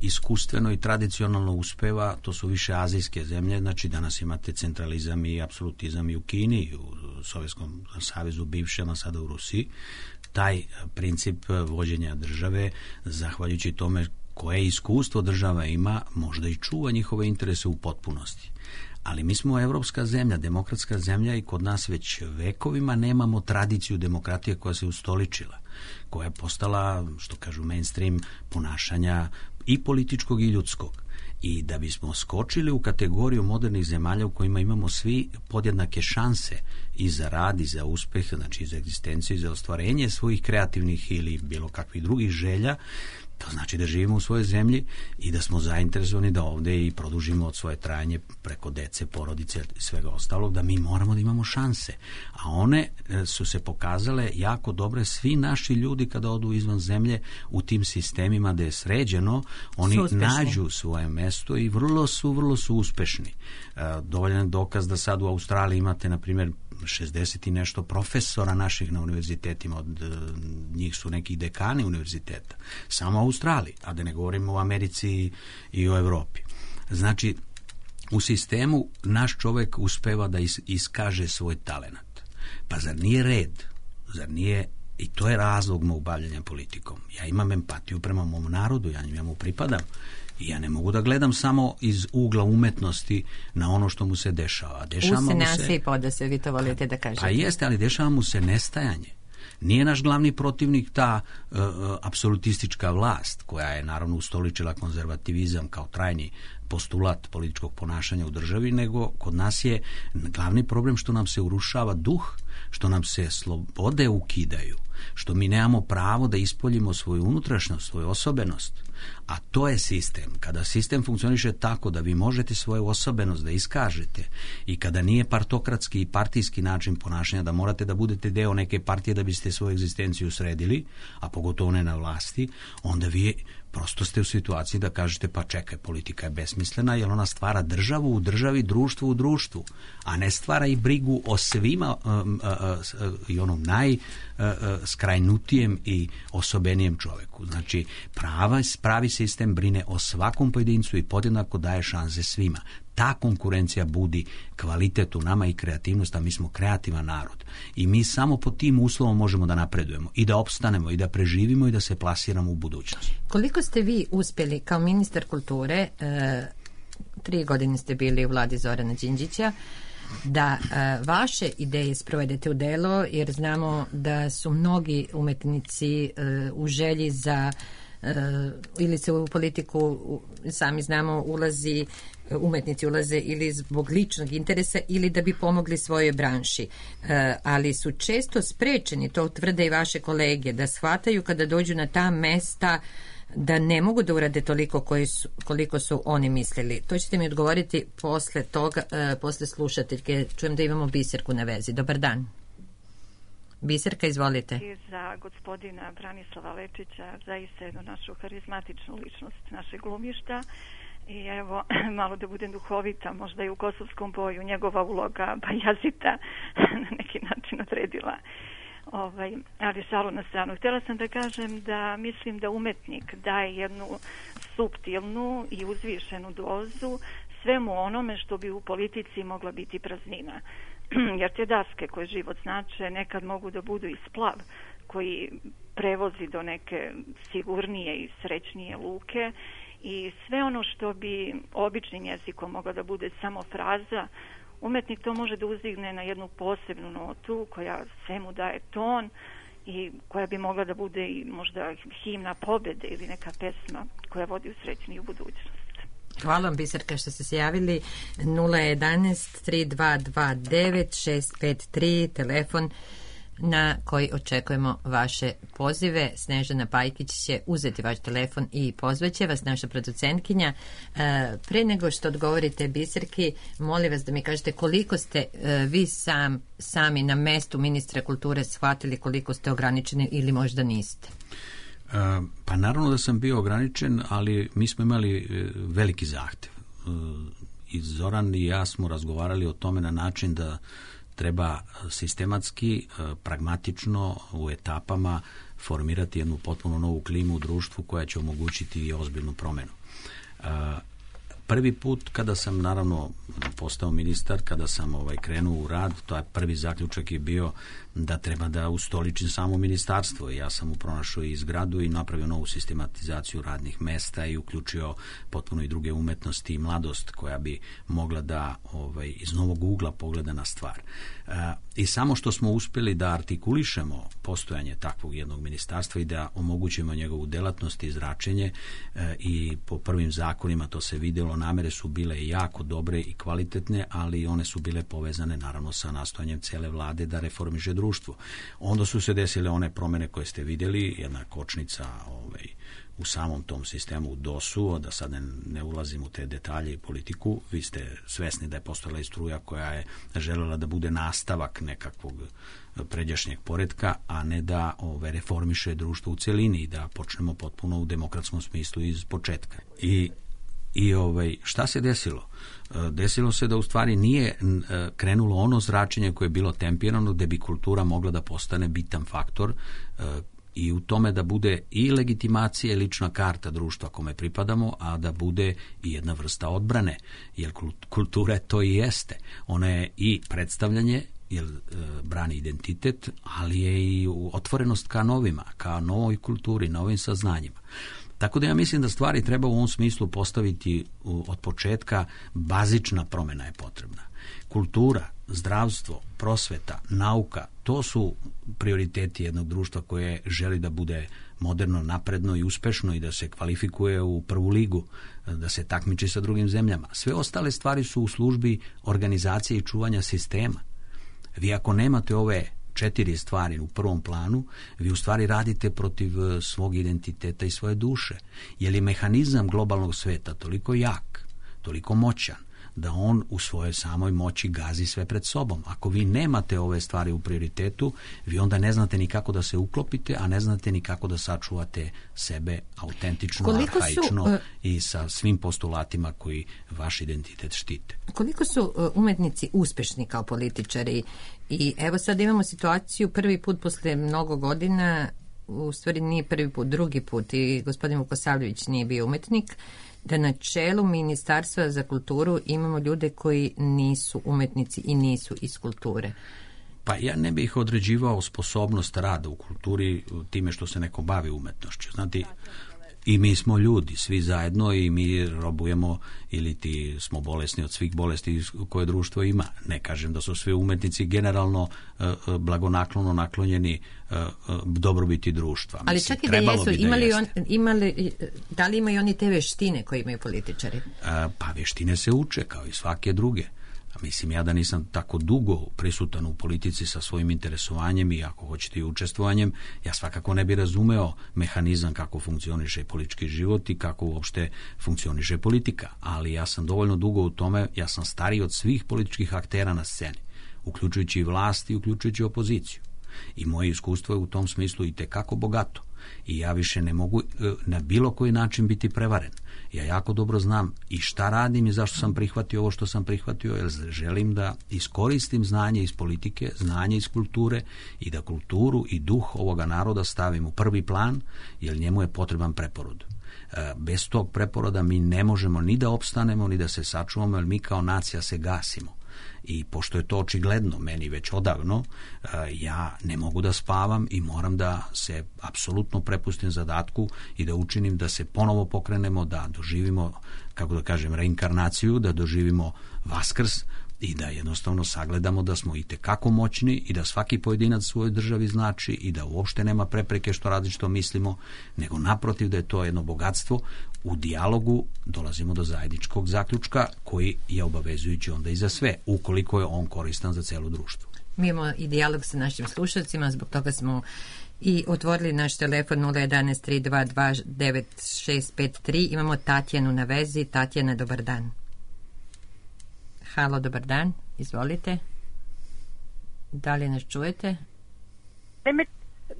iskustveno i tradicionalno uspeva, to su više azijske zemlje, znači danas imate centralizam i apsolutizam i u Kini, i u Sovjetskom savezu bivšem, a sada u Rusiji. Taj princip vođenja države, zahvaljujući tome koje iskustvo država ima, možda i čuva njihove interese u potpunosti. Ali mi smo evropska zemlja, demokratska zemlja i kod nas već vekovima nemamo tradiciju demokratije koja se ustoličila, koja je postala, što kažu, mainstream ponašanja i političkog i ljudskog. I da bismo skočili u kategoriju modernih zemalja u kojima imamo svi podjednake šanse i za rad i za uspeh, znači i za egzistenciju i za ostvarenje svojih kreativnih ili bilo kakvih drugih želja, to znači da živimo u svojoj zemlji i da smo zainteresovani da ovdje i produžimo od svoje trajanje preko dece, porodice i svega ostalog, da mi moramo da imamo šanse. A one su se pokazale jako dobre. Svi naši ljudi kada odu izvan zemlje u tim sistemima gde je sređeno, oni nađu svoje mesto i vrlo su uspešni. Dovoljan dokaz da sad u Australiji imate, na primjer, 60 i nešto profesora naših na univerzitetima, od njih su neki dekani univerziteta, samo u Australiji, a da ne govorimo o Americi i o Evropi. Znači, u sistemu naš čovjek uspeva da iskaže svoj talenat. Pa zar nije red? Zar nije, i to je razlog mog bavljenja politikom. Ja imam empatiju prema mom narodu, ja mu pripadam. I ja ne mogu da gledam samo iz ugla umetnosti na ono što mu se dešava. U se i poda se, vi to volite da kažete. Pa jeste, ali dešava mu se nestajanje. Nije naš glavni protivnik ta apsolutistička vlast, koja je naravno ustoličila konzervativizam kao trajni postulat političkog ponašanja u državi, nego kod nas je glavni problem što nam se urušava duh, što nam se slobode ukidaju, što mi nemamo pravo da ispoljimo svoju unutrašnjost, svoju osobenost. A to je sistem. Kada sistem funkcioniše tako da vi možete svoju osobenost da iskažete i kada nije partokratski i partijski način ponašanja da morate da budete deo neke partije da biste svoju egzistenciju sredili, a pogotovo ne na vlasti, onda vi prosto ste u situaciji da kažete pa čekaj, politika je besmislena jer ona stvara državu u državi, društvo u društvu, a ne stvara i brigu o svima i onom najskrajnutijem i osobenijem čoveku. Znači, pravi sistem brine o svakom pojedincu i podjednako daje šanse svima. Ta konkurencija budi kvalitet u nama i kreativnost, a mi smo kreativan narod. I mi samo pod tim uslovom možemo da napredujemo i da opstanemo i da preživimo i da se plasiramo u budućnost. Koliko ste vi uspjeli kao ministar kulture, 3 godine ste bili u vladi Zorana Đinđića, da vaše ideje sprovedete u delo, jer znamo da su mnogi umetnici u želji za ili se u politiku, sami znamo, umetnici ulaze ili zbog ličnog interesa ili da bi pomogli svojoj branši. Ali su često sprečeni, to tvrde i vaše kolege, da shvataju kada dođu na ta mesta da ne mogu da urade toliko koliko su oni mislili. To ćete mi odgovoriti posle toga, posle slušateljke. Čujem da imamo Biserku na vezi. Dobar dan. Biserka, izvolite. I za gospodina Branislava Lečića, zaista jednu našu harizmatičnu ličnost našeg glumišta. I evo, malo da budem duhovita, možda i u Kosovskom boju njegova uloga Bajazita na neki način odredila. Ali šalu na stranu. Htjela sam da kažem da mislim da umetnik daje jednu suptilnu i uzvišenu dozu svemu onome što bi u politici mogla biti praznina. Jer te daske koje život znače nekad mogu da budu i splav koji prevozi do neke sigurnije i srećnije luke i sve ono što bi običnim jezikom mogla da bude samo fraza, umetnik to može da uzdigne na jednu posebnu notu koja svemu daje ton i koja bi mogla da bude i možda himna pobjede ili neka pesma koja vodi u srećniju budućnost. Hvala vam, Biserka, što ste se javili. 011-3229-653, telefon na koji očekujemo vaše pozive. Snežana Pajkić će uzeti vaš telefon i pozvaće vas, naša producentkinja. Pre nego što odgovorite Biserki, molim vas da mi kažete koliko ste vi sami na mestu ministra kulture shvatili koliko ste ograničeni ili možda niste? Pa naravno da sam bio ograničen, ali mi smo imali veliki zahtev. I Zoran i ja smo razgovarali o tome na način da treba sistematski, pragmatično u etapama formirati jednu potpuno novu klimu u društvu koja će omogućiti i ozbiljnu promjenu. Prvi put kada sam naravno postao ministar, kada sam krenuo u rad, to je prvi zaključak je bio da treba da ustoličim samo ministarstvo. Ja sam pronašao i zgradu i napravio novu sistematizaciju radnih mesta i uključio potpuno i druge umetnosti i mladost koja bi mogla da iz novog ugla pogleda na stvar. I samo što smo uspjeli da artikulišemo postojanje takvog jednog ministarstva i da omogućimo njegovu delatnost i zračenje i po prvim zakonima to se vidjelo, namere su bile jako dobre i kvalitetne, ali one su bile povezane naravno sa nastojanjem cele vlade da reformiše društvo. Onda su se desile one promjene koje ste vidjeli, jedna kočnica u samom tom sistemu DOS-u, da sad ne ulazim u te detalje i politiku. Vi ste svesni da je postojala i struja koja je željela da bude nastavak nekakvog pređašnjeg poretka, a ne da reformiše društvo u celini i da počnemo potpuno u demokratskom smislu iz početka. I šta se desilo? Desilo se da u stvari nije krenulo ono zračenje koje je bilo tempirano, gde bi kultura mogla da postane bitan faktor i u tome da bude i legitimacija i lična karta društva kome pripadamo, a da bude i jedna vrsta odbrane, jer kultura to i jeste. Ona je i predstavljanje jer brani identitet, ali je i otvorenost ka novima, ka novoj kulturi, novim saznanjima. Tako da ja mislim da stvari treba u ovom smislu postaviti od početka. Bazična promjena je potrebna. Kultura, zdravstvo, prosveta, nauka, to su prioriteti jednog društva koje želi da bude moderno, napredno i uspešno i da se kvalifikuje u prvu ligu, da se takmiči sa drugim zemljama. Sve ostale stvari su u službi organizacije i čuvanja sistema. Vi ako nemate ove 4 stvari u prvom planu, vi u stvari radite protiv svog identiteta i svoje duše. Jer je mehanizam globalnog sveta toliko jak, toliko moćan, da on u svojoj samoj moći gazi sve pred sobom. Ako vi nemate ove stvari u prioritetu, vi onda ne znate ni kako da se uklopite, a ne znate ni kako da sačuvate sebe autentično, arhaično i sa svim postulatima koji vaš identitet štite. Koliko su umetnici uspešni kao političari? I evo sad imamo situaciju prvi put posle mnogo godina, u stvari nije prvi put, drugi put, i gospodin Vukosavljević nije bio umetnik, da na čelu Ministarstva za kulturu imamo ljude koji nisu umetnici i nisu iz kulture. Pa ja ne bih određivao sposobnost rada u kulturi time što se neko bavi umetnošću. Znate, i mi smo ljudi, svi zajedno, i mi robujemo ili ti smo bolesni od svih bolesti koje društvo ima. Ne kažem da su svi umetnici generalno blagonaklono naklonjeni dobrobiti društva. Ali čak i da jesu, da li imaju oni te veštine koje imaju političari? Pa veštine se uče kao i svake druge. Mislim, ja da nisam tako dugo prisutan u politici sa svojim interesovanjem i ako hoćete i učestvovanjem, ja svakako ne bi razumeo mehanizam kako funkcioniše politički život i kako uopšte funkcioniše politika. Ali ja sam dovoljno dugo u tome, ja sam stariji od svih političkih aktera na sceni, uključujući i vlast i uključujući opoziciju. I moje iskustvo je u tom smislu i tekako bogato. I ja više ne mogu na bilo koji način biti prevaren. Ja jako dobro znam i šta radim i zašto sam prihvatio ovo što sam prihvatio, jer želim da iskoristim znanje iz politike, znanje iz kulture i da kulturu i duh ovoga naroda stavim u prvi plan, jer njemu je potreban preporod. Bez tog preporoda mi ne možemo ni da opstanemo, ni da se sačuvamo, jer mi kao nacija se gasimo. I pošto je to očigledno meni već odavno, ja ne mogu da spavam i moram da se apsolutno prepustim zadatku i da učinim da se ponovo pokrenemo, da doživimo, kako da kažem, reinkarnaciju, da doživimo vaskrs i da jednostavno sagledamo da smo itekako moćni i da svaki pojedinac svojoj državi znači i da uopšte nema prepreke što različito mislimo, nego naprotiv da je to jedno bogatstvo. U dijalogu dolazimo do zajedničkog zaključka koji je obavezujući onda i za sve, ukoliko je on koristan za celo društvo. Mi imamo i dijalog sa našim slušalcima, zbog toga smo i otvorili naš telefon 011-322-9653. Imamo Tatjanu na vezi. Tatjana, dobar dan. Halo, dobar dan, izvolite. Da li nas čujete?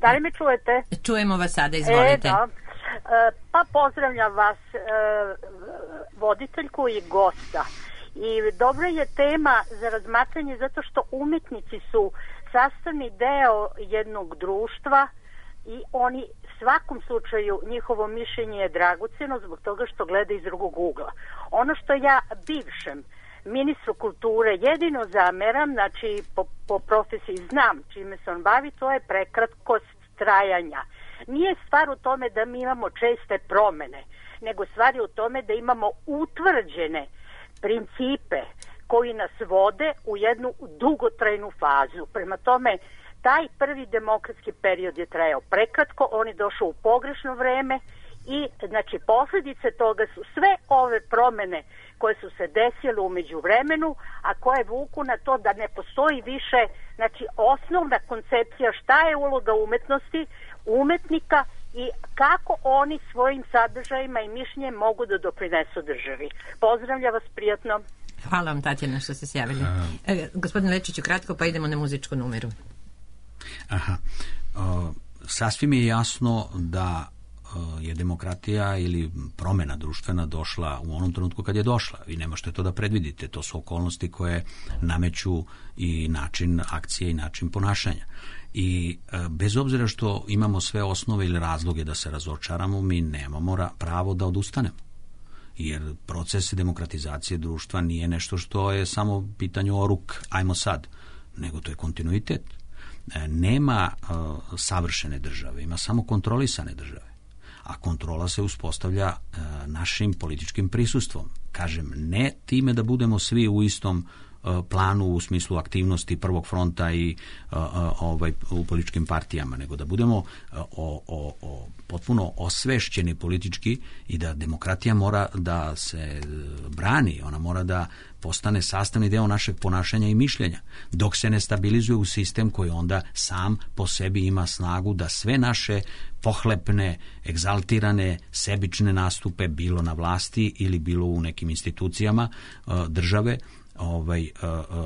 Da li me čujete? Čujemo vas sada, izvolite. Da. Pa pozdravljam vas, voditeljku i gosta. I dobra je tema za razmatranje zato što umetnici su sastavni deo jednog društva i oni svakom slučaju njihovo mišljenje je dragoceno zbog toga što gleda iz drugog ugla. Ono što ja bivšem ministru kulture jedino zameram, znači po profesiji znam čime se on bavi, to je prekratkost trajanja. Nije stvar u tome da mi imamo česte promene, nego stvar je u tome da imamo utvrđene principe koji nas vode u jednu dugotrajnu fazu. Prema tome, taj prvi demokratski period je trajao prekratko, on je došao u pogrešno vreme i znači posljedice toga su sve ove promene koje su se desile u međuvremenu, a koje vuku na to da ne postoji više, znači osnovna koncepcija šta je uloga umetnosti, umetnika i kako oni svojim sadržajima i mišljenjem mogu da doprinesu državi. Pozdravljam vas, prijatno. Hvala vam, Tatjana, što ste se javili. Gospodin Lečiću, kratko, pa idemo na muzičku numeru. Aha. Sasvim je jasno da je demokratija ili promjena društvena došla u onom trenutku kad je došla. Vi ne možete to da predvidite. To su okolnosti koje nameću i način akcije i način ponašanja. I bez obzira što imamo sve osnove ili razloge da se razočaramo, mi nemamo pravo da odustanemo. Jer proces demokratizacije društva nije nešto što je samo pitanje o ruk, ajmo sad. nego to je kontinuitet. Nema savršene države, ima samo kontrolisane države. A kontrola se uspostavlja našim političkim prisustvom. Kažem, ne time da budemo svi u istom planu u smislu aktivnosti prvog fronta i u političkim partijama, nego da budemo potpuno osvešćeni politički i da demokratija mora da se brani, ona mora da postane sastavni deo našeg ponašanja i mišljenja, dok se ne stabilizuje u sistem koji onda sam po sebi ima snagu da sve naše pohlepne, egzaltirane, sebične nastupe, bilo na vlasti ili bilo u nekim institucijama države,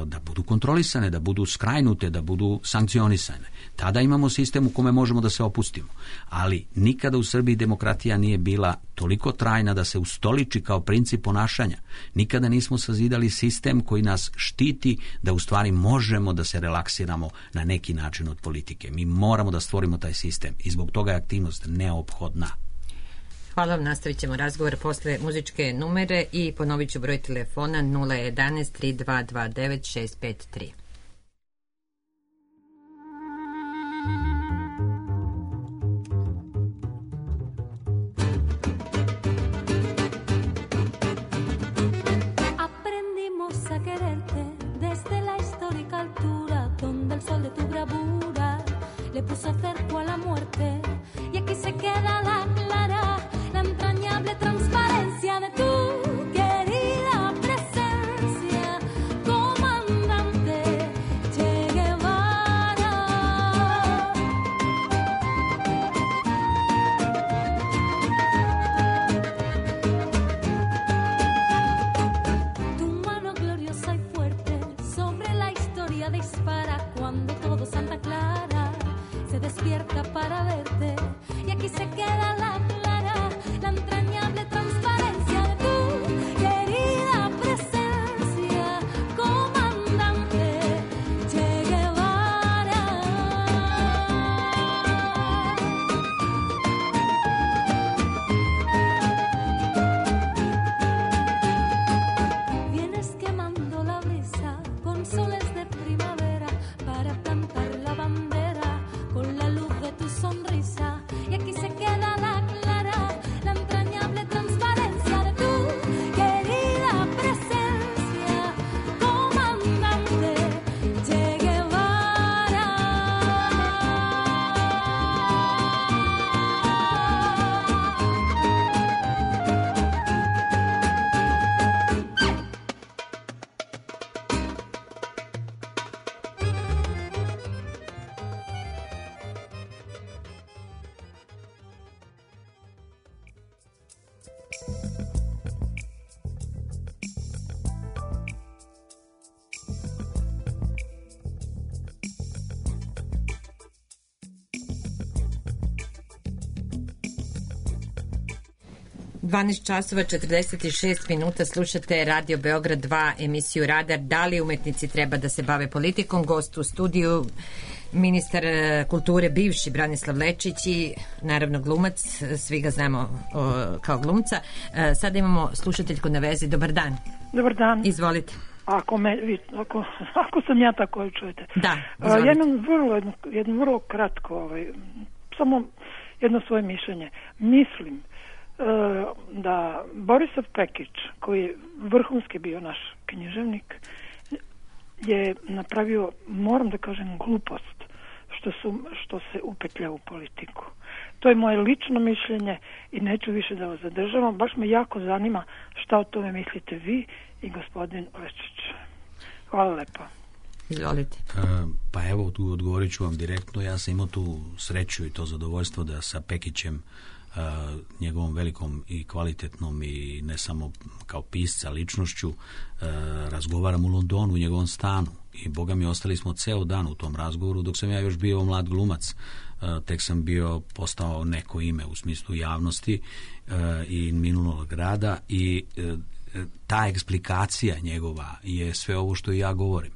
da budu kontrolisane, da budu skrajnute, da budu sankcionisane. Tada imamo sistem u kome možemo da se opustimo. Ali nikada u Srbiji demokratija nije bila toliko trajna da se ustoliči kao princip ponašanja. Nikada nismo sazidali sistem koji nas štiti da u stvari možemo da se relaksiramo na neki način od politike. Mi moramo da stvorimo taj sistem i zbog toga je aktivnost neophodna. Hvala vam, nastavit ćemo razgovor posle muzičke numere i ponovit ću broj telefona 011 3229 653. Aprendimos a quererte desde la histórica altura donde el sol de tu bravura le puso cerco a la muerte y aquí se queda la clara la entrañable transparencia de tu querida presencia, comandante Che Guevara. Tu mano gloriosa y fuerte sobre la historia dispara cuando todo Santa Clara se despierta para verte y aquí se queda la clara, la entrañable transparencia de tu querida presencia, comandante Che Guevara. Vienes quemando la brisa con soles de primavera para plantar la bandera con la luz de tu sonrisa y aquí se queda la clara, la entrañable transparencia de tu querida presencia, comandante Che Guevara. časova 46 minuta, slušate Radio Beograd 2, emisiju Radar. Da li umetnici treba da se bave politikom? Gost u studiju, ministar kulture bivši Branislav Lečić i naravno glumac, svi ga znamo kao glumca. Sada imamo slušateljku na vezi. Dobar dan. Dobar dan. Izvolite. Ako sam ja tako čujete. Da, jedno vrlo kratko, samo jedno svoje mišljenje. Mislim da Borisav Pekić, koji je vrhunski bio naš književnik, je napravio, moram da kažem, glupost što se upetlja u politiku. To je moje lično mišljenje i neću više da vas zadržavam. Baš me jako zanima šta o tome mislite vi i gospodin Lečić. Hvala lepo. Izvolite. Pa evo, tu odgovorit ću vam direktno. Ja sam imao tu sreću i to zadovoljstvo da sa Pekićem, njegovom velikom i kvalitetnom i ne samo kao pisca ličnošću, razgovaram u Londonu, u njegovom stanu, i boga mi ostali smo ceo dan u tom razgovoru dok sam ja još bio mlad glumac. Tek sam postao neko ime u smislu javnosti i minulog rada, i ta eksplikacija njegova je sve ovo što i ja govorim.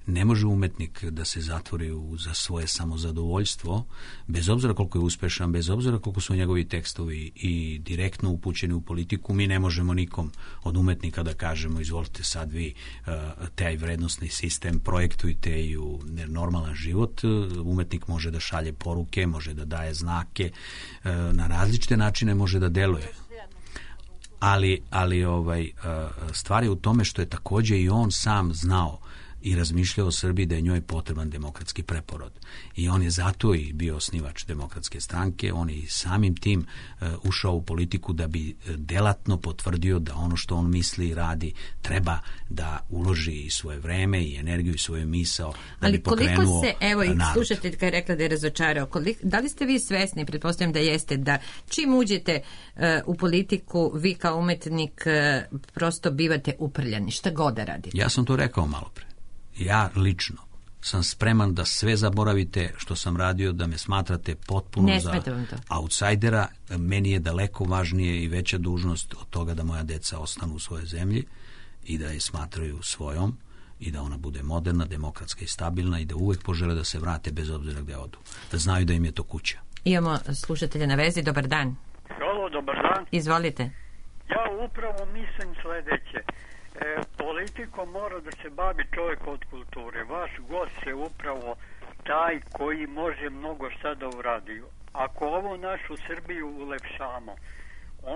Ne može umetnik da se zatvori za svoje samozadovoljstvo, bez obzira koliko je uspešan, bez obzira koliko su njegovi tekstovi i direktno upućeni u politiku. Mi ne možemo nikom od umetnika da kažemo izvolite sad vi taj vrednostni sistem projektujte i u normalan život. Umetnik može da šalje poruke, može da daje znake, na različite načine može da deluje. Ali stvar je u tome što je takođe i on sam znao i razmišljao o Srbiji da je njoj potreban demokratski preporod. I on je zato i bio osnivač Demokratske stranke, on je samim tim ušao u politiku da bi delatno potvrdio da ono što on misli i radi treba da uloži i svoje vreme i energiju i svoju misao da bi pokrenuo narod. Ali koliko se, evo i slušateljka je rekla da je razočarao, da li ste vi svesni, pretpostavljam da jeste, da čim uđete u politiku, vi kao umetnik prosto bivate uprljani, šta god da radite? Ja sam to rekao malo pre. Ja lično sam spreman da sve zaboravite što sam radio, da me smatrate potpuno za outsidera. Meni je daleko važnije i veća dužnost od toga da moja deca ostanu u svojoj zemlji i da je smatraju svojom i da ona bude moderna, demokratska i stabilna i da uvek požele da se vrate bez obzira gde odu. Da znaju da im je to kuća. Imamo slušatelja na vezi. Dobar dan. Halo, dobar dan. Izvolite. Ja upravo mislim sledeće. Politikom mora da se bavi čovjek od kulture. Vaš gost je upravo taj koji može mnogo šta da uradi. Ako ovo našu Srbiju ulepšamo,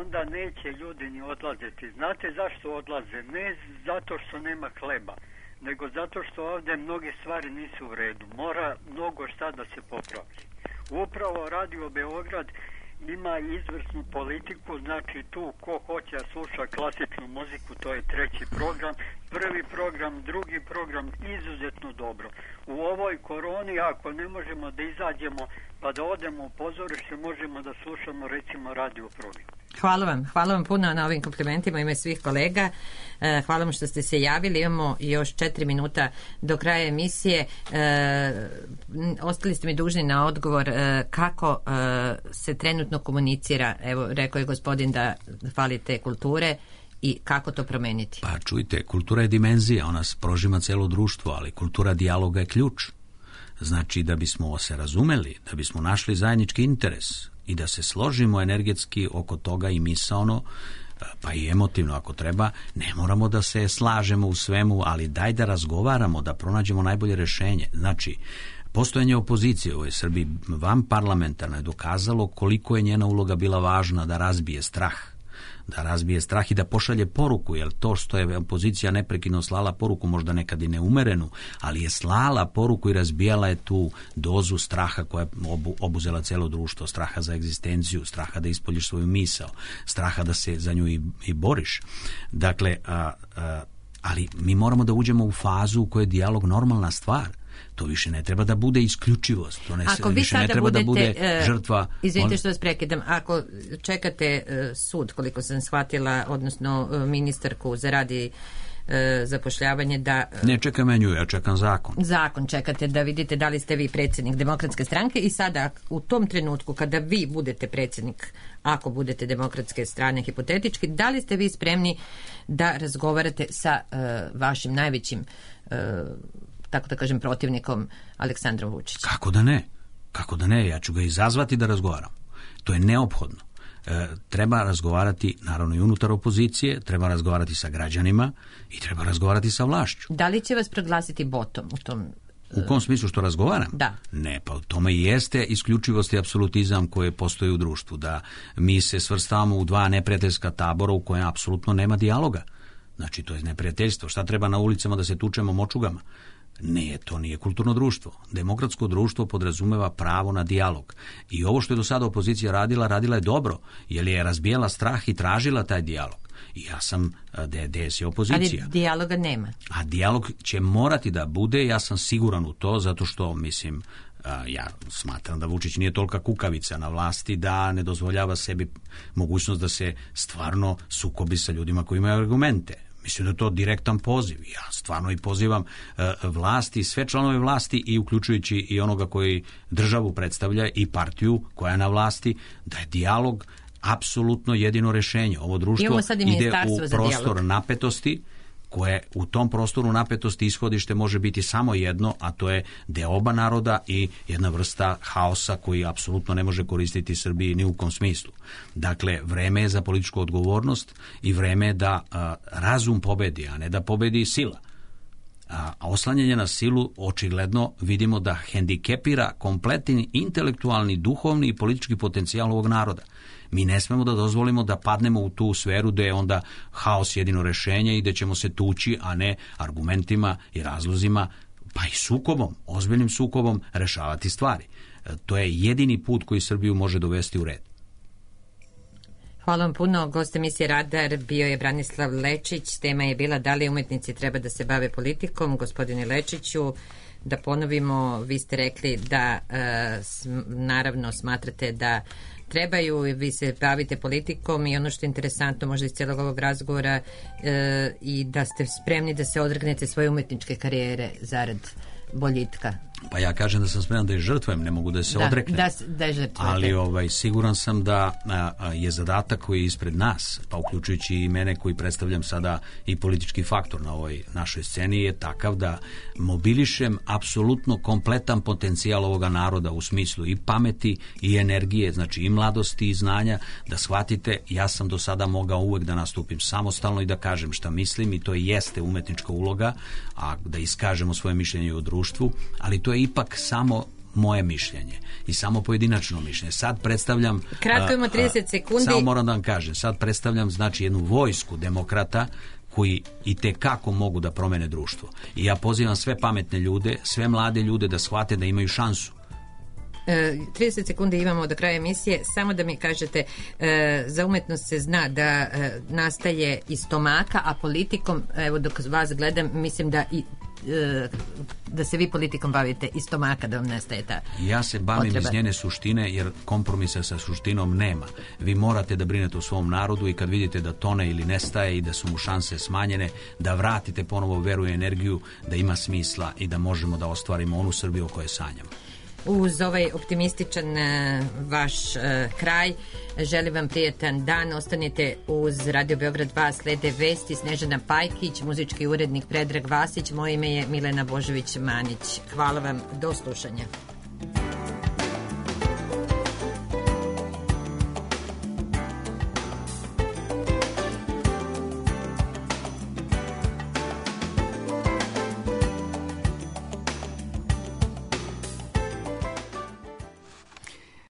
onda neće ljudi ni odlaziti. Znate zašto odlaze? Ne zato što nema hleba, nego zato što ovdje mnoge stvari nisu u redu. Mora mnogo šta da se popravi. Upravo Radio Beograd ima izvrsnu politiku, znači tu ko hoće da sluša klasičnu muziku, to je 3. program, 1. program, 2. program, izuzetno dobro. U ovoj koroni, ako ne možemo da izađemo pa da odemo u pozorište, možemo da slušamo recimo radio program. Hvala vam puno na ovim komplimentima ime svih kolega. Hvala vam što ste se javili. Imamo još 4 minuta do kraja emisije. Ostali ste mi dužni na odgovor kako se trenutno komunicira. Evo, rekao je gospodin da falite kulture i kako to promeniti. Pa čujte, kultura je dimenzija, ona prožima celo društvo, ali kultura dijaloga je ključ. Znači, da bismo se razumeli, da bismo našli zajednički interes i da se složimo energetski oko toga i misaono, pa i emotivno ako treba, ne moramo da se slažemo u svemu, ali daj da razgovaramo, da pronađemo najbolje rešenje. Znači, postojanje opozicije u ovoj Srbiji vanparlamentarno je dokazalo koliko je njena uloga bila važna da razbije strah i da pošalje poruku, jer to što je opozicija neprekidno slala poruku, možda nekad i neumerenu, ali je slala poruku i razbijala je tu dozu straha koja je obuzela celo društvo, straha za egzistenciju, straha da ispoljiš svoju misao, straha da se za nju i boriš. Dakle, ali mi moramo da uđemo u fazu u kojoj je dijalog normalna stvar. To više ne treba da bude isključivost. To više ne treba da bude žrtva. Izvinite što vas prekidam. Ako čekate sud, koliko sam shvatila, odnosno ministarku za rad i zapošljavanje da... Ne čekam ja nju, ja čekam zakon. Zakon čekate da vidite da li ste vi predsjednik Demokratske stranke i sada u tom trenutku kada vi budete predsjednik, ako budete Demokratske strane hipotetički, da li ste vi spremni da razgovarate sa vašim najvećim tako da kažem, protivnikom Aleksandrom Vučićem? Kako da ne? Ja ću ga izazvati da razgovaram. To je neophodno. Treba razgovarati, naravno i unutar opozicije, treba razgovarati sa građanima i treba razgovarati sa vlašću. Da li će vas proglasiti botom u tom... U kom smislu što razgovaram? Da. Ne, pa u tome i jeste isključivost i apsolutizam koje postoji u društvu, da mi se svrstavamo u dva neprijateljska tabora u kojem apsolutno nema dijaloga. Znači, to je neprijateljstvo. Šta treba na ulicama da se tučemo močugama? Ne, to nije kulturno društvo. Demokratsko društvo podrazumeva pravo na dijalog. I ovo što je do sada opozicija radila je dobro, jer je razbijala strah i tražila taj dijalog. I ja sam DS je opozicija. Ali dijaloga nema. A dijalog će morati da bude, ja sam siguran u to, zato što, mislim, ja smatram da Vučić nije tolika kukavica na vlasti da ne dozvoljava sebi mogućnost da se stvarno sukobi sa ljudima koji imaju argumente. Mislim da je to direktan poziv. Ja stvarno i pozivam vlasti, sve članove vlasti i uključujući i onoga koji državu predstavlja i partiju koja je na vlasti, da je dijalog apsolutno jedino rešenje. Ovo društvo ide u prostor napetosti koje u tom prostoru napetosti ishodište može biti samo jedno, a to je deoba naroda i jedna vrsta haosa koji apsolutno ne može koristiti Srbiji ni u kom smislu. Dakle, vreme je za političku odgovornost i vreme je da razum pobedi, a ne da pobedi sila. A oslanjanje na silu očigledno vidimo da hendikepira kompletni intelektualni, duhovni i politički potencijal ovog naroda. Mi ne smemo da dozvolimo da padnemo u tu sferu gde je onda haos jedino rešenje i gde ćemo se tući, a ne argumentima i razlozima, pa i sukobom, ozbiljnim sukobom rešavati stvari. To je jedini put koji Srbiju može dovesti u red. Hvala vam puno. Gost emisije Radar bio je Branislav Lečić. Tema je bila da li umetnici treba da se bave politikom. Gospodine Lečiću, da ponovimo, vi ste rekli da naravno smatrate da trebaju i vi se bavite politikom i ono što je interesantno možda iz cijelog ovog razgovora i da ste spremni da se odregnete svoje umetničke karijere zarad boljitka. Pa ja kažem da sam spreman da je žrtvujem, ne mogu da se odreknem. Da je žrtvujete. Ali siguran sam da je zadatak koji je ispred nas, pa uključujući i mene koji predstavljam sada i politički faktor na ovoj našoj sceni, je takav da mobilišem apsolutno kompletan potencijal ovoga naroda u smislu i pameti i energije, znači i mladosti i znanja, da shvatite, ja sam do sada mogao uvek da nastupim samostalno i da kažem šta mislim i to jeste umetnička uloga, a da iskažemo svoje mišljenje u društvu, ali to je ipak samo moje mišljenje i samo pojedinačno mišljenje. Sad predstavljam... Kratko ima 30 sekundi. Samo moram da vam kažem, sad predstavljam znači jednu vojsku demokrata koji i tekako mogu da promene društvo. I ja pozivam sve pametne ljude, sve mlade ljude da shvate da imaju šansu. 30 sekundi imamo do kraja emisije. Samo da mi kažete, za umetnost se zna da nastaje iz stomaka, a politikom, evo dok vas gledam, mislim da se vi politikom bavite iz stomaka, da vam nestaje ta Ja se bavim potreba. Iz njene suštine, jer kompromisa sa suštinom nema. Vi morate da brinete o svom narodu i kad vidite da tone ili nestaje i da su mu šanse smanjene, da vratite ponovo veru i energiju, da ima smisla i da možemo da ostvarimo onu Srbiju o kojoj sanjamo. Uz ovaj optimističan vaš kraj želim vam prijetan dan. Ostanite uz Radio Beograd 2, slede vesti. Snežana Pajkić, muzički urednik Predrag Vasić, moje ime je Milena Božović-Manić. Hvala vam, do slušanja.